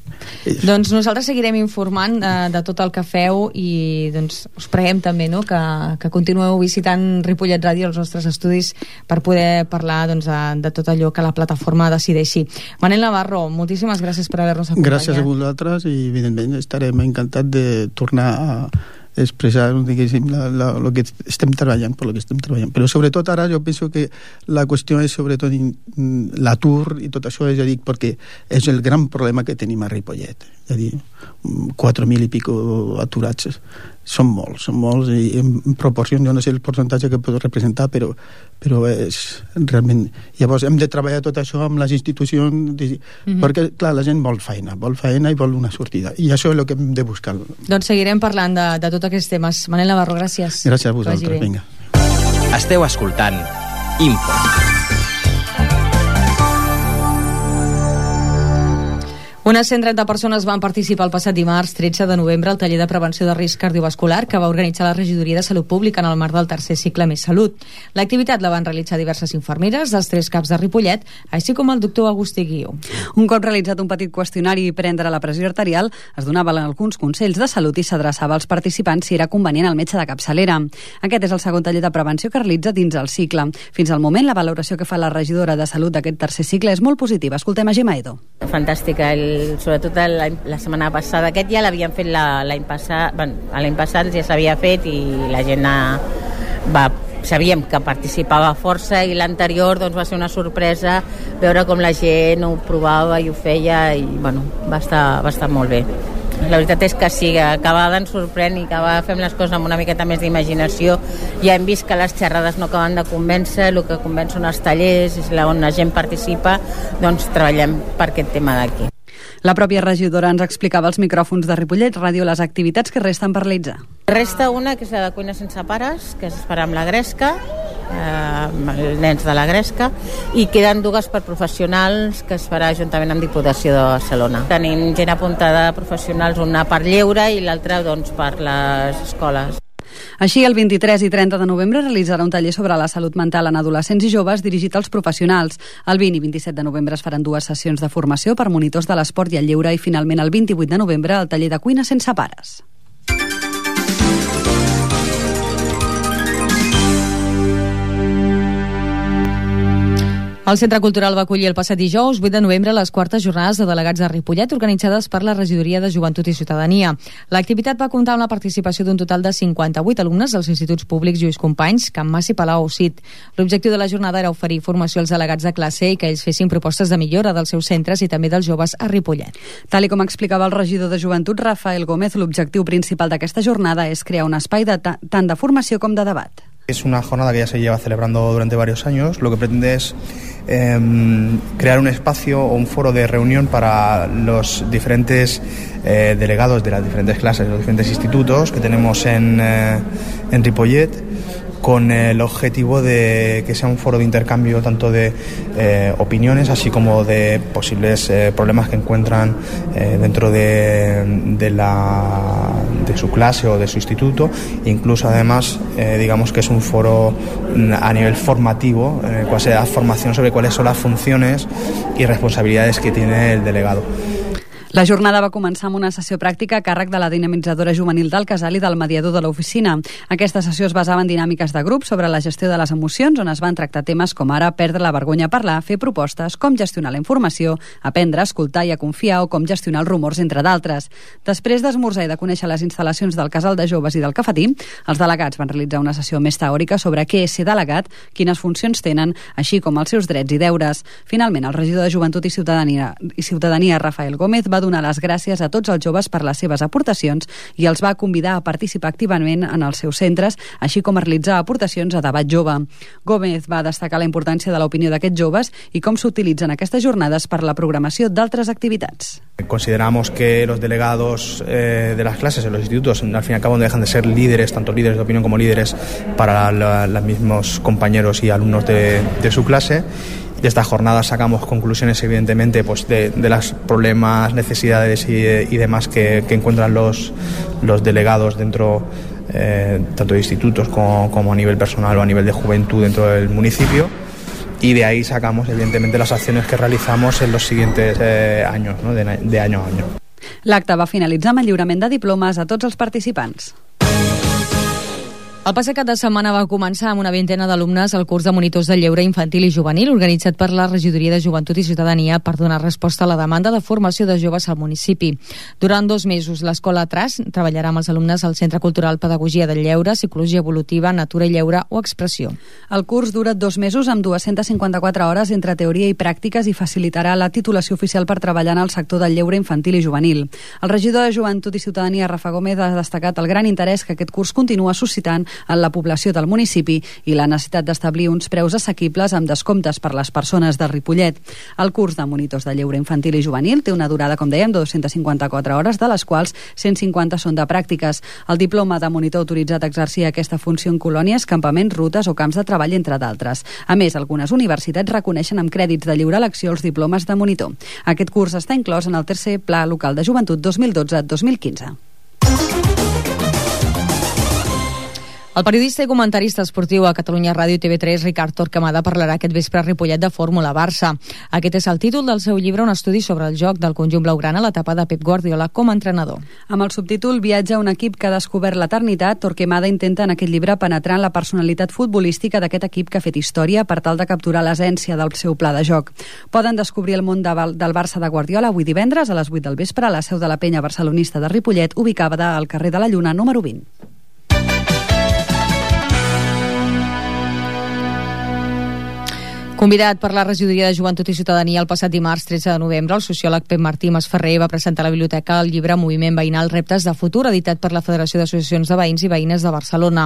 Doncs nosaltres seguirem informant de tot el que feu, i doncs us preguem també, no?, que continueu visitant Ripollet Ràdio, els nostres estudis, per poder parlar, doncs, de tot allò que la plataforma decideixi. Manel Navarro, moltíssimes gràcies per haver-nos acompanyat. Gràcies a vosaltres, i evidentment estarem encantats de tornar a expressar, diguéssim, el que estem treballant, per lo que estem treballant. Però sobretot ara jo penso que la qüestió és sobretot l'atur i tot això, és a dir, perquè és el gran problema que tenim a Ripollet. És a dir, 4.000 i pico aturats són molts, i en proporció, jo no sé el percentatge que pot representar, però és realment... Llavors hem de treballar tot això amb les institucions, perquè, clar, la gent vol feina i vol una sortida, i això és el que hem de buscar. Doncs seguirem parlant de tots aquests temes. Manel Navarro, gràcies. Gràcies a vosaltres, vinga. Esteu escoltant Info. Unes 130 persones van participar el passat dimarts 13 de novembre al taller de prevenció de risc cardiovascular que va organitzar la Regidoria de Salut Pública en el marc del tercer cicle Més Salut. L'activitat la van realitzar diverses infermeres dels 3 CAPs de Ripollet, així com el doctor Agustí Guiu. Un cop realitzat un petit qüestionari i prendre la pressió arterial, es donaven alguns consells de salut i s'adreçava als participants si era convenient el metge de capçalera. Aquest és el segon taller de prevenció que realitza dins el cicle. Fins al moment, la valoració que fa la regidora de Salut d'aquest tercer cicle és molt positiva. Escoltem a Gemma Edo. Fantàstica, sobretot la setmana passada. Aquest ja l'havien fet l'any passat, l'any passat ja s'havia fet i la gent sabíem que participava força, i l'anterior doncs, va ser una sorpresa veure com la gent ho provava i ho feia, i va estar molt bé. La veritat és que sí, cada vegada ens sorprèn i cada vegada fem les coses amb una miqueta més d'imaginació. Ja hem vist que les xerrades no acaben de convèncer, el que convenç són els tallers, és on la gent participa, doncs treballem per aquest tema d'aquí. La pròpia regidora ens explicava als micròfons de Ripollet Ràdio les activitats que resten per realitzar. Resta una, que és la de cuina sense pares, que es farà amb la Gresca, els nens de la Gresca, i queden 2 per professionals, que es farà juntament amb Diputació de Barcelona. Tenim gent apuntada professionals, una per lleure i l'altra doncs, per les escoles. Així, el 23 i 30 de novembre realitzarà un taller sobre la salut mental en adolescents i joves dirigit als professionals. El 20 i 27 de novembre es faran 2 sessions de formació per monitors de l'esport i el lleure i finalment el 28 de novembre el taller de cuina sense pares. El Centre Cultural va acollir el passat dijous 8 de novembre les 4es jornades de delegats de Ripollet organitzades per la Regidoria de Joventut i Ciutadania. L'activitat va comptar amb la participació d'un total de 58 alumnes dels instituts públics Lluís Companys, Can Mas i Palau Ausit. L'objectiu de la jornada era oferir formació als delegats de classe i que ells fessin propostes de millora dels seus centres i també dels joves a Ripollet. Tal com explicava el regidor de Joventut, Rafael Gómez, l'objectiu principal d'aquesta jornada és crear un espai tant de formació com de debat. Es una jornada que ya se lleva celebrando durante varios años. Lo que pretende es crear un espacio o un foro de reunión para los diferentes delegados de las diferentes clases, de los diferentes institutos que tenemos en Ripollet, con el objetivo de que sea un foro de intercambio tanto de opiniones así como de posibles problemas que encuentran dentro de su clase o de su instituto. Incluso además digamos que es un foro a nivel formativo en el cual se da formación sobre cuáles son las funciones y responsabilidades que tiene el delegado. La jornada va començar amb una sessió pràctica a càrrec de la dinamitzadora juvenil del Casal i del mediador de l'oficina. Aquesta sessió es basava en dinàmiques de grup sobre la gestió de les emocions, on es van tractar temes com ara perdre la vergonya a parlar, fer propostes, com gestionar la informació, aprendre a escoltar i a confiar o com gestionar els rumors, entre d'altres. Després d'esmorzar i de conèixer les instal·lacions del Casal de Joves i del Cafetí, els delegats van realitzar una sessió més teòrica sobre què és ser delegat, quines funcions tenen, així com els seus drets i deures. Finalment, el regidor de Joventut i Ciutadania, Rafael Gómez, va donar les gràcies a tots els joves per les seves aportacions i els va convidar a participar activament en els seus centres, així com a realitzar aportacions a debat jove. Gómez va destacar la importància de l'opinió d'aquests joves i com s'utilitzen aquestes jornades per la programació d'altres activitats. Consideramos que los delegados de las clases en los institutos al fin y al cabo no dejan de ser líderes, tanto líderes de opinión como líderes para los mismos compañeros y alumnos de su clase. De esta jornada sacamos conclusiones, evidentemente, pues de los problemas, necesidades y demás que encuentran los delegados dentro tanto de institutos como a nivel personal o a nivel de juventud dentro del municipio. Y de ahí sacamos, evidentemente, las acciones que realizamos en los siguientes años, ¿no? de año a año. L'acte va finalitzar amb el lliurament de diplomes a tots els participants. El passat cap de setmana va començar amb una vintena d'alumnes el curs de monitors de lleure infantil i juvenil organitzat per la Regidoria de Joventut i Ciutadania per donar resposta a la demanda de formació de joves al municipi. Durant 2 mesos, l'Escola Tras treballarà amb els alumnes al Centre Cultural Pedagogia del Lleure, Psicologia Evolutiva, Natura i Lleure o Expressió. El curs dura 2 mesos amb 254 hores entre teoria i pràctiques i facilitarà la titulació oficial per treballar en el sector del lleure infantil i juvenil. El regidor de Joventut i Ciutadania, Rafa Gómez, ha destacat el gran interès que aquest curs continua suscitant en la població del municipi i la necessitat d'establir uns preus assequibles amb descomptes per les persones de Ripollet. El curs de monitors de lleure infantil i juvenil té una durada, com dèiem, de 254 hores, de les quals 150 són de pràctiques. El diploma de monitor autoritzat a exercir aquesta funció en colònies, campaments, rutes o camps de treball, entre d'altres. A més, algunes universitats reconeixen amb crèdits de lliure elecció els diplomes de monitor. Aquest curs està inclòs en el tercer Pla Local de Joventut 2012-2015. El periodista i comentarista esportiu a Catalunya Ràdio i TV3, Ricard Torquemada, parlarà aquest vespre a Ripollet de Fórmula Barça. Aquest és el títol del seu llibre, un estudi sobre el joc del conjunt blaugrana a l'etapa de Pep Guardiola com a entrenador. Amb el subtítol Viatge a un equip que ha descobert l'eternitat, Torquemada intenta en aquest llibre penetrar en la personalitat futbolística d'aquest equip que ha fet història per tal de capturar l'essència del seu pla de joc. Poden descobrir el món del Barça de Guardiola avui divendres a les 8 del vespre a la seu de la penya barcelonista de Ripollet, ubicada al carrer de la Lluna, número 20. Convidat per la Regidoria de Joventut i Ciutadania el passat dimarts 13 de novembre, el sociòleg Pep Martí Masferrer va presentar a la biblioteca el llibre Moviment Veïnal Reptes de Futur, editat per la Federació d'Associacions de Veïns i Veïnes de Barcelona.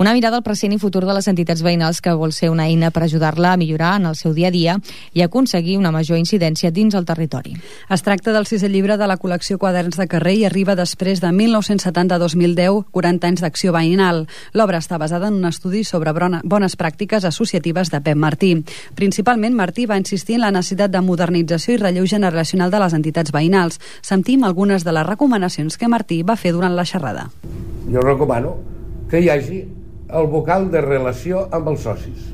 Una mirada al present i futur de les entitats veïnals que vol ser una eina per ajudar-la a millorar en el seu dia a dia i aconseguir una major incidència dins el territori. Es tracta del 6è llibre de la col·lecció Quaderns de Carrer i arriba després de 1970-2010, 40 anys d'acció veïnal. L'obra està basada en un estudi sobre bones pràctiques associatives de Pep Martí. Principalment, Martí va insistir en la necessitat de modernització i relleu generacional de les entitats veïnals. Sentim algunes de les recomanacions que Martí va fer durant la xerrada. Jo recomano que hi hagi el vocal de relació amb els socis.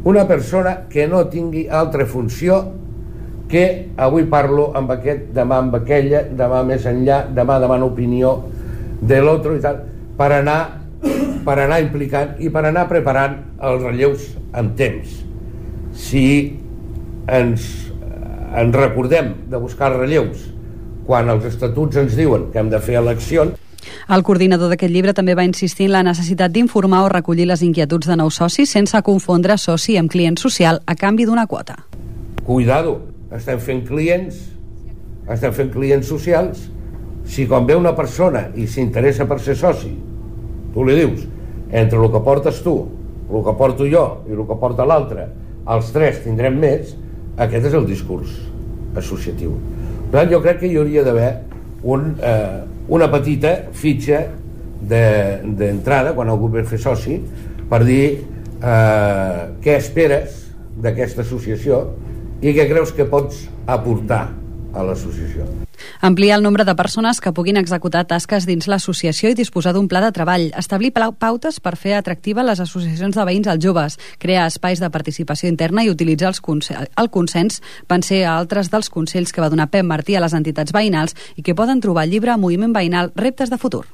Una persona que no tingui altra funció que avui parlo amb aquest, demà amb aquella, demà més enllà, demà demano opinió de l'altre i tal, per anar implicant i per anar preparant els relleus amb temps. Si ens recordem de buscar els relleus quan els estatuts ens diuen que hem de fer eleccions. El coordinador d'aquest llibre també va insistir en la necessitat d'informar o recollir les inquietuds de nous socis sense confondre soci amb client social a canvi d'una quota. Cuidado, estem fent clients socials. Si quan ve una persona i s'interessa per ser soci, tu li dius, entre el que portes tu, el que porto jo i el que porta l'altre, els tres tindrem més, aquest és el discurs associatiu. Per tant, jo crec que hi hauria d'haver una petita fitxa d'entrada quan algú ve a fer soci per dir què esperes d'aquesta associació i què creus que pots aportar a l'associació. Ampliar el nombre de persones que puguin executar tasques dins l'associació i disposar d'un pla de treball, establir pautes per fer atractives les associacions de veïns als joves, crear espais de participació interna i utilitzar el consens van ser altres dels consells que va donar Pep Martí a les entitats veïnals i que poden trobar al llibre Moviment Veïnal, reptes de futur.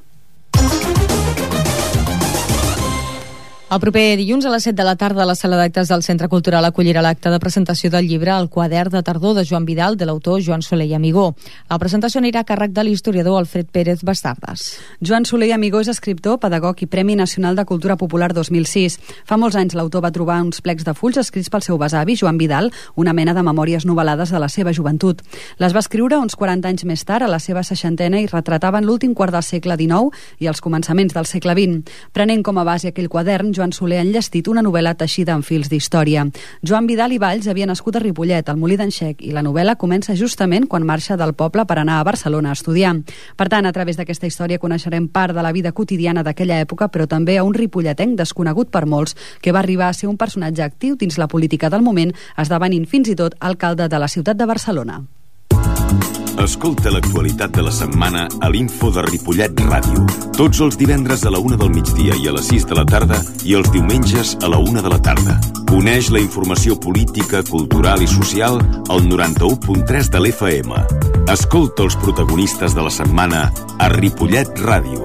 El proper dilluns a les 7 de la tarda la sala d'actes del Centre Cultural acollirà l'acte de presentació del llibre El quadern de tardor de Joan Vidal, de l'autor Joan Soler i Amigó. La presentació anirà a càrrec de l'historiador Alfred Pérez Bastardas. Joan Soler i Amigó és escriptor, pedagog i Premi Nacional de Cultura Popular 2006. Fa molts anys l'autor va trobar uns plecs de fulls escrits pel seu besavi, Joan Vidal, una mena de memòries novel·lades de la seva joventut. Les va escriure uns 40 anys més tard, a la seva 60ena, i retrataven l'últim quart del segle XIX i els començaments del segle XX. Prenent com a base aquell quadern, Joan Soler ha enllestit una novel·la teixida en fils d'història. Joan Vidal i Valls havia nascut a Ripollet, al Molí d'en Xec, i la novel·la comença justament quan marxa del poble per anar a Barcelona a estudiar. Per tant, a través d'aquesta història coneixerem part de la vida quotidiana d'aquella època, però també a un ripolletenc desconegut per molts, que va arribar a ser un personatge actiu dins la política del moment, esdevenint fins i tot alcalde de la ciutat de Barcelona. Escolta l'actualitat de la setmana a l'Info de Ripollet Ràdio. Tots els divendres a la 1 del migdia i a les 6 de la tarda i els diumenges a la 1 de la tarda. Coneix la informació política, cultural i social al 91.3 de l'FM. Escolta els protagonistes de la setmana a Ripollet Ràdio.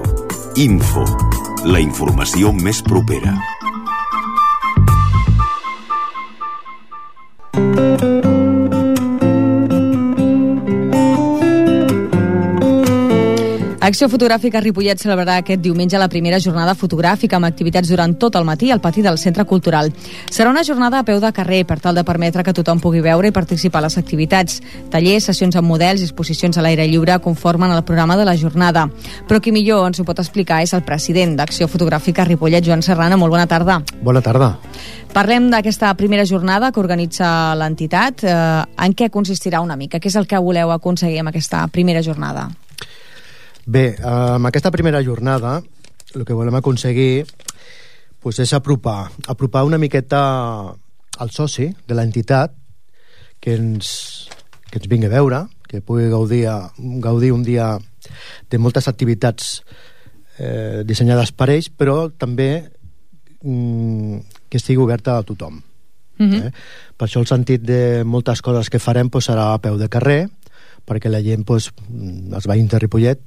Info, la informació més propera. Acció Fotogràfica Ripollet celebrarà aquest diumenge la primera jornada fotogràfica amb activitats durant tot el matí al pati del Centre Cultural. Serà una jornada a peu de carrer per tal de permetre que tothom pugui veure i participar a les activitats. Tallers, sessions amb models i exposicions a l'aire lliure conformen el programa de la jornada. Però qui millor ens ho pot explicar és el president d'Acció Fotogràfica Ripollet, Joan Serrana. Molt bona tarda. Bona tarda. Parlem d'aquesta primera jornada que organitza l'entitat. En què consistirà una mica? Què és el que voleu aconseguir amb aquesta primera jornada? Bé, amb aquesta primera jornada el que volem aconseguir és apropar una miqueta al soci de l'entitat que ens vingui a veure, que pugui gaudir un dia de moltes activitats dissenyades per ells, però també que estigui oberta a tothom. Per això el sentit de moltes coses que farem serà a peu de carrer, perquè la gent, els veïns de Ripollet,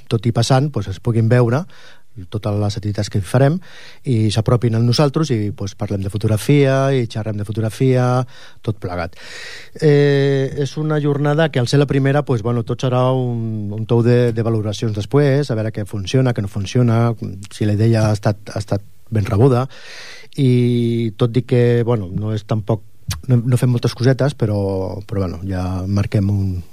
tot i passant, es puguin veure totes les activitats que farem i s'apropin a nosaltres i parlem de fotografia i xerrem de fotografia, tot plegat. És una jornada que al ser la primera tot serà un tou de valoracions després, a veure què funciona, què no funciona, si la idea ha estat ben rebuda, i tot i que no és tampoc no fem moltes cosetes, però ja marquem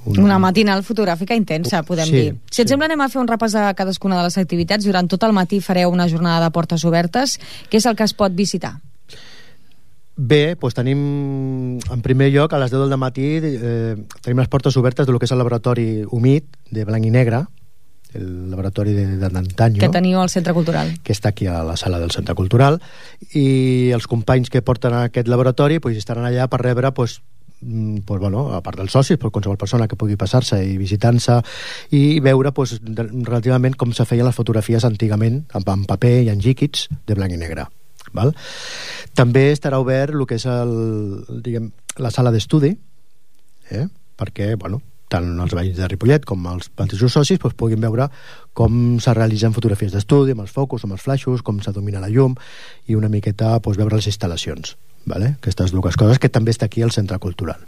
una matinal fotogràfica intensa, podem dir. Si et sembla, anem a fer un repàs de cadascuna de les activitats. Durant tot el matí fareu una jornada de portes obertes. Què és el que es pot visitar? Bé, tenim en primer lloc a les 10 del matí tenim les portes obertes del que és el laboratori humit de blanc i negre, el laboratori d'antanyo que teniu al Centre Cultural, que està aquí a la sala del Centre Cultural, i els companys que porten a aquest laboratori estaran allà per rebre pues, bueno, a part dels socis, per qualsevol persona que pugui passar-se i visitar-se i veure pues, relativament com se feien les fotografies antigament en paper i en líquids de blanc i negre, val? També estarà obert el que és la sala d'estudi, perquè bueno, tant els veïns de Ripollet com els mateixos socis pues, puguin veure com se realitzen fotografies d'estudi amb els focus, amb els flaixos, com se domina la llum i una miqueta pues, veure les instal·lacions, vale? Aquestes dues coses que també està aquí al Centre Cultural.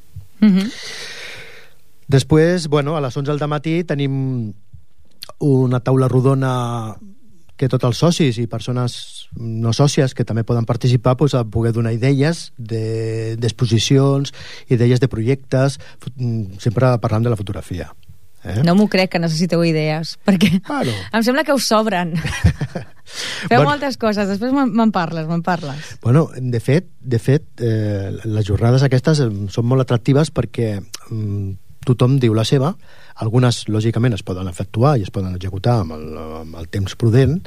Després, bueno, a les 11 del matí tenim una taula rodona que tots els socis i persones no sòcies que també poden participar pues, a poder donar idees d'exposicions, idees de projectes, sempre parlant de la fotografia. No m'ho crec que necessiteu idees, perquè em sembla que us sobren. Feu moltes coses, després me'n parles. Bueno, de fet, les jornades aquestes són molt atractives perquè tothom diu la seva, algunes lògicament es poden efectuar i es poden executar amb el temps prudent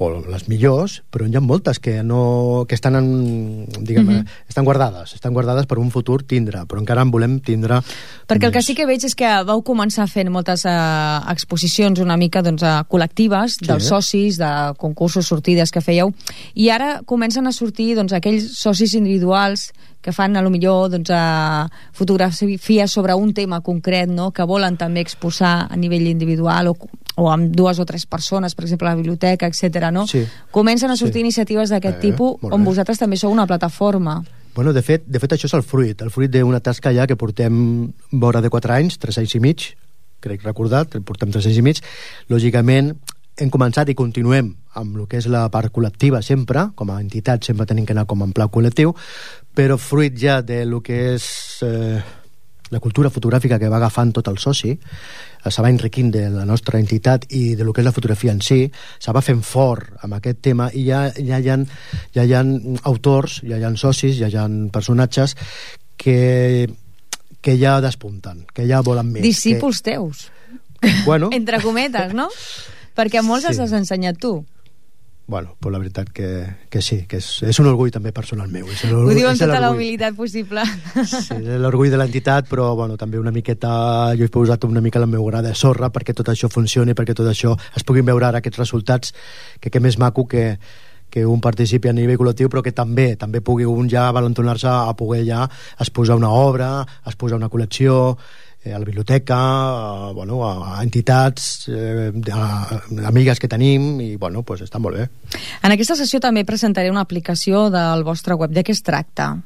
o les millors, però hi ha moltes que estan estan guardades per un futur tindre, però encara en volem tindre perquè el que sí que veig és que vau començar fent moltes exposicions una mica col·lectives dels socis, de concursos, sortides que fèieu, i ara comencen a sortir aquells socis individuals que fan a lo millor fotografies sobre un tema concret, no? Que volen també exposar a nivell individual o amb 2 o 3 persones, per exemple a la biblioteca, etc. No? Sí. Comencen a sortir iniciatives d'aquest tipus on vosaltres també sou una plataforma. Bueno, de fet això és el fruit d'una tasca ja que portem vora de 4 anys, 3 anys i mig, crec recordar, portem 3 anys i mig. Lògicament hem començat i continuem amb el que és la part col·lectiva sempre, com a entitat sempre tenim que anar com en pla col·lectiu, però fruit ja de lo que és la cultura fotogràfica que va agafant tot el soci, se va enriquint de la nostra entitat i de lo que és la fotografia en si, se va fent fort amb aquest tema i ja hi ha autors, ja hi ha socis, ja hi ha personatges que ja despunten, que ja volen més. Discípuls teus. Bueno. Entre cometes, no? Perquè a molts els has ensenyat tu. Bueno, pues la veritat que sí, que és un orgull també personal meu. Ho diu amb tota la humilitat possible. Sí, l'orgull de l'entitat, però bueno, també una miqueta, jo he posat una mica la meva gra de sorra perquè tot això funcioni, perquè tot això es puguin veure ara aquests resultats, que més maco que un participi a nivell col·lectiu, però que també pugui un ja valentonar-se a poder ja exposar una obra, exposar una col·lecció, a la biblioteca, a entitats, a amigues que tenim, i bueno, pues està molt bé. En aquesta sessió també presentaré una aplicació del vostre web. De què es tracta?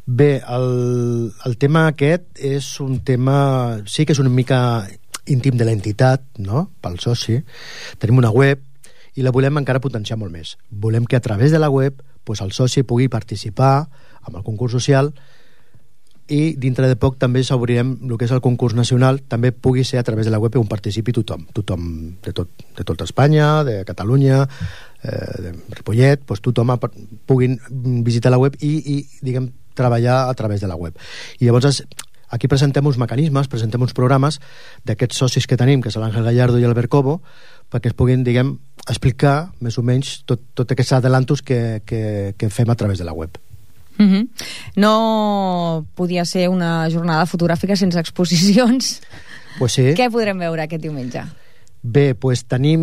Bé, el tema aquest és un tema, sí que és una mica íntim de l'entitat, no?, pel soci. Tenim una web i la volem encara potenciar molt més. Volem que a través de la web pues, el soci pugui participar amb el concurs social i dintre de poc també s'obrirem el que és el concurs nacional, també pugui ser a través de la web on participi tothom de tot Espanya, de Catalunya, de Ripollet, doncs tothom puguin visitar la web i diguem, treballar a través de la web. I llavors aquí presentem uns mecanismes, presentem uns programes d'aquests socis que tenim, que és l'Àngel Gallardo i l'Albert Cobo, perquè es puguin, diguem, explicar més o menys tot aquests adelantos que fem a través de la web. No podia ser una jornada fotogràfica sense exposicions. Pues sí. Què podrem veure aquest diumenge? Bé, pues tenim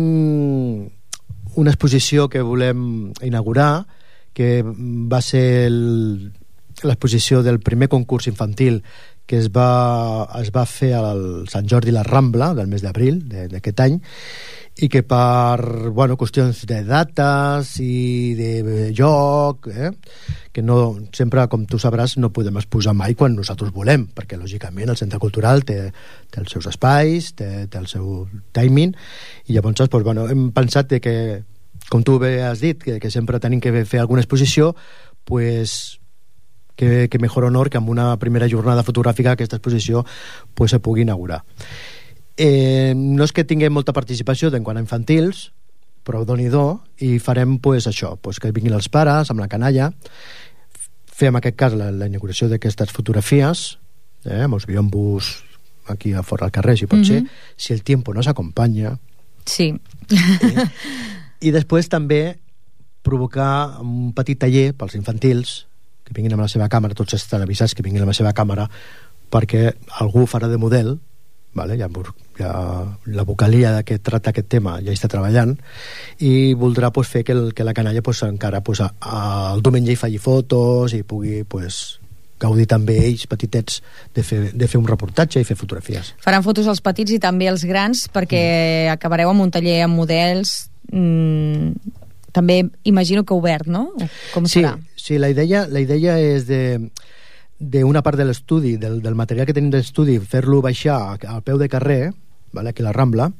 una exposició que volem inaugurar, que va ser l'exposició del primer concurs infantil que es va fer al Sant Jordi la Rambla del mes d'abril d'aquest any, i que per qüestions de dates i de joc, que no, sempre, com tu sabràs, no podem exposar mai quan nosaltres volem, perquè lògicament el centre cultural té els seus espais, té el seu timing, i llavors hem pensat que, com tu bé has dit, que sempre tenim que fer alguna exposició, pues que mejor honor que amb una primera jornada fotogràfica aquesta exposició se pugui inaugurar. No és que tinguem molta participació quant a infantils, però doni-do, i farem això, que vinguin els pares amb la canalla, fer en aquest cas la inauguració d'aquestes fotografies, amb els biombos aquí a fora al carrer, si pot ser, si el tiempo no s'acompanya. Sí. I després també provocar un petit taller pels infantils, que vinguin amb la seva càmera, tots estan avisats que vinguin amb la seva càmera, perquè algú farà de model, vale? Ja la vocalia que tracta aquest tema ja està treballant, i voldrà fer que la canalla encara el diumenge hi faci fotos i pugui gaudir també ells petitets de fer un reportatge i fer fotografies. Faran fotos als petits i també als grans, perquè acabareu amb un taller amb models, també imagino que obert, no? Com serà? Sí, la idea és d'una part de l'estudi, del material que tenim d'estudi, fer-lo baixar al peu de carrer, vale? Aquí a la Rambla,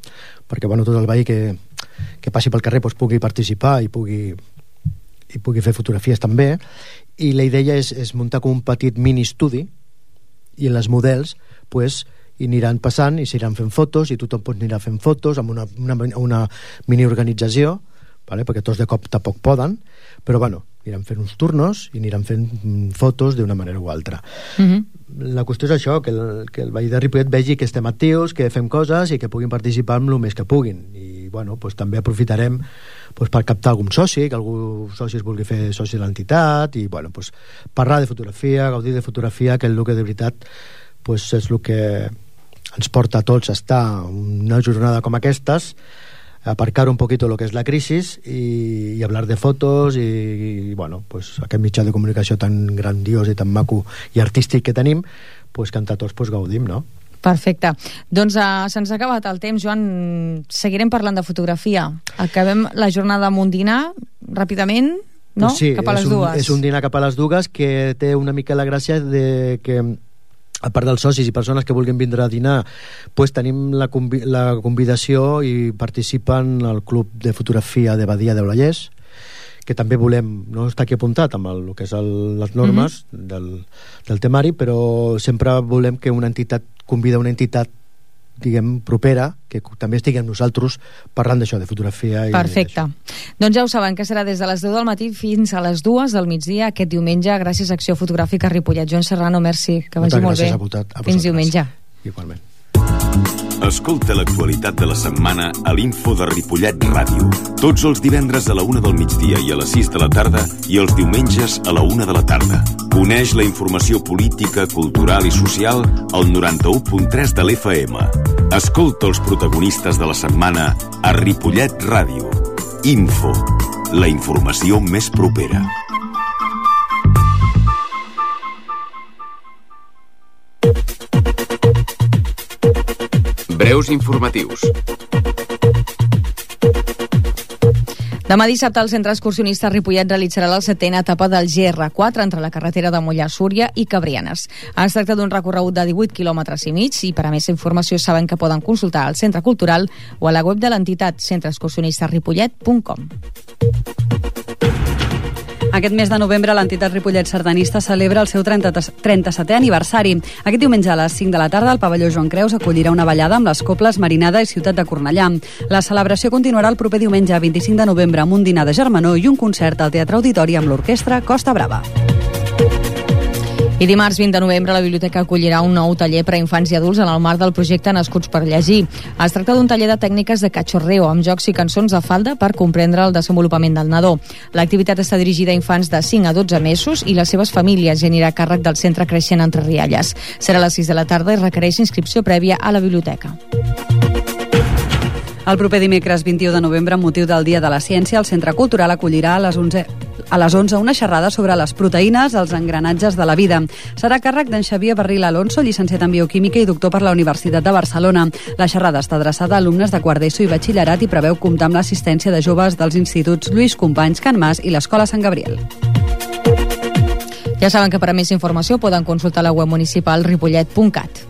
perquè tot el veí que passi pel carrer pugui participar i pugui fer fotografies també, i la idea és muntar com un petit mini estudi, i en les models hi aniran passant i s'aniran fent fotos, i tothom anirà fent fotos amb una mini organització, vale? Perquè tots de cop tampoc poden, però aniran fent uns turnos i aniran fent fotos d'una manera o altra. La qüestió és això, que el veí de Ripollet vegi que estem actius, que fem coses i que puguin participar amb el més que puguin, i també aprofitarem per captar algun soci, que algú soci es vulgui fer soci de l'entitat, i parlar de fotografia, gaudir de fotografia, que és el que de veritat és el que ens porta a tots a estar una jornada com aquestes, aparcar un poquito lo que es la crisis y hablar de fotos y aquest mitjà de comunicació tan grandiós i tan maco i artístic que tenim, que entre tots gaudim, no? Perfecte. Doncs se'ns ha acabat el temps, Joan. Seguirem parlant de fotografia. Acabem la jornada amb un dinar, ràpidament, no? Sí, cap a les dues. És un dinar cap a les dues que té una mica la gràcia de que, a part dels socis i persones que vulguin vindre a dinar, tenim la convidació i participen al Club de Fotografia de Badia del Vallès, que també volem, no està aquí apuntat amb el que és les normes del temari, però sempre volem que una entitat convida una entitat, diguem, propera, que també estigui amb nosaltres parlant d'això, de fotografia. Perfecte. Doncs ja ho saben, que serà des de les 10 del matí fins a les 2 del migdia aquest diumenge, gràcies a Acció Fotogràfica Ripollet. Joan Serrano, merci, que vagi molt bé. Fins diumenge. Igualment. Escolta l'actualitat de la setmana a l'Info de Ripollet Ràdio. Tots els divendres a la 1 del migdia i a les 6 de la tarda i els diumenges a la 1 de la tarda. Coneix la informació política, cultural i social al 91.3 de l'FM. Escolta els protagonistes de la setmana a Ripollet Ràdio. Info, la informació més propera. Breus informatius. Demà dissabte el Centre Excursionista Ripollet realitzarà la 7a etapa del GR4 entre la carretera de Mollà, Súria i Cabrianes. Es tracta d'un recorregut de 18 quilòmetres i mig, i per a més informació saben que poden consultar al Centre Cultural o a la web de l'entitat centreexcursionistaripollet.com. Aquest mes de novembre l'entitat Ripollet Sardanista celebra el seu 37è aniversari. Aquest diumenge a les 5 de la tarda el pavelló Joan Creus acollirà una ballada amb les cobles Marinada i Ciutat de Cornellà. La celebració continuarà el proper diumenge 25 de novembre amb un dinar de germanor i un concert al Teatre Auditori amb l'orquestra Costa Brava. I dimarts 20 de novembre la biblioteca acollirà un nou taller per a infants i adults en el marc del projecte Nascuts per Llegir. Es tracta d'un taller de tècniques de cachorreo amb jocs i cançons de falda per comprendre el desenvolupament del nadó. L'activitat està dirigida a infants de 5 a 12 mesos i les seves famílies, i anirà a càrrec del Centre Creixent Entre Rialles. Serà a les 6 de la tarda i requereix inscripció prèvia a la biblioteca. El proper dimecres 21 de novembre, amb motiu del Dia de la Ciència, el Centre Cultural acollirà a les 11 una xerrada sobre les proteïnes, els engranatges de la vida. Serà a càrrec d'en Xavier Barril Alonso, llicenciat en Bioquímica i doctor per la Universitat de Barcelona. La xerrada està adreçada a alumnes de quart d'ESO i batxillerat i preveu comptar amb l'assistència de joves dels instituts Lluís Companys, Can Mas i l'Escola Sant Gabriel. Ja saben que per a més informació poden consultar la web municipal ripollet.cat.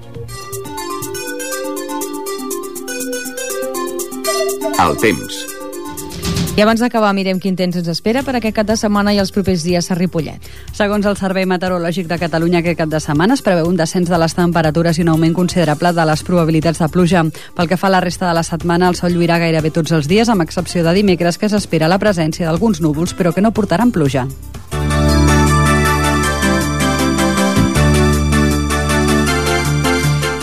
El temps. I abans d'acabar, mirem quin temps ens espera per aquest cap de setmana i els propers dies a Ripollet. Segons el Servei Meteorològic de Catalunya, aquest cap de setmana es preveu un descens de les temperatures i un augment considerable de les probabilitats de pluja. Pel que fa a la resta de la setmana, el sol lluirà gairebé tots els dies, amb excepció de dimecres, que s'espera la presència d'alguns núvols, però que no portaran pluja.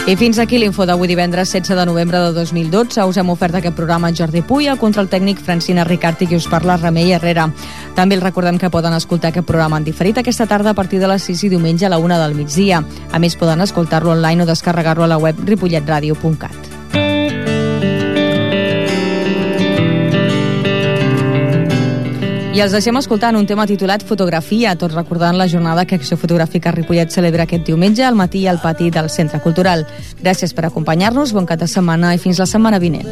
I fins aquí l'info d'avui divendres 16 de novembre de 2012. Us hem ofert aquest programa Jordi Puy, el control tècnic Francina Ricart i qui us parla Remei Herrera. També els recordem que poden escoltar aquest programa en diferit aquesta tarda a partir de les 6 i diumenge a la 1 del migdia. A més, poden escoltar-lo online o descarregar-lo a la web ripolletradio.cat. I els deixem escoltant un tema titulat Fotografia, tot recordant la jornada que Acció Fotogràfica Ripollet celebra aquest diumenge al matí al pati del Centre Cultural. Gràcies per acompanyar-nos, bon cap de setmana i fins la setmana vinent.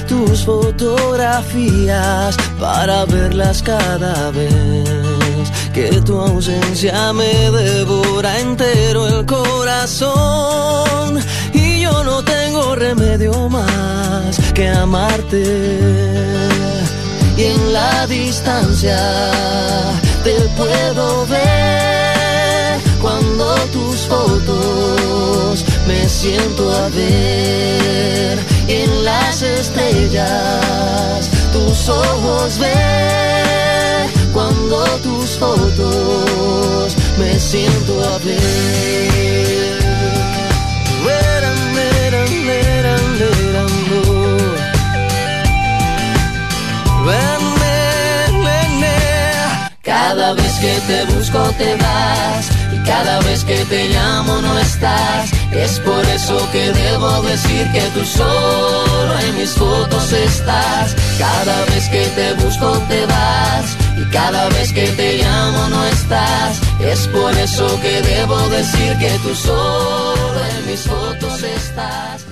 Tus fotografías para verlas cada vez que tu ausencia me devora entero el corazón y yo no tengo remedio más que amarte. Y en la distancia te puedo ver cuando tus fotos me siento a ver. Y en las estrellas tus ojos ver cuando tus fotos me siento a ver. Cada vez que te busco te vas y cada vez que te llamo no estás. Es por eso que debo decir que tú solo en mis fotos estás. Cada vez que te busco te vas y cada vez que te llamo no estás. Es por eso que debo decir que tú solo en mis fotos estás.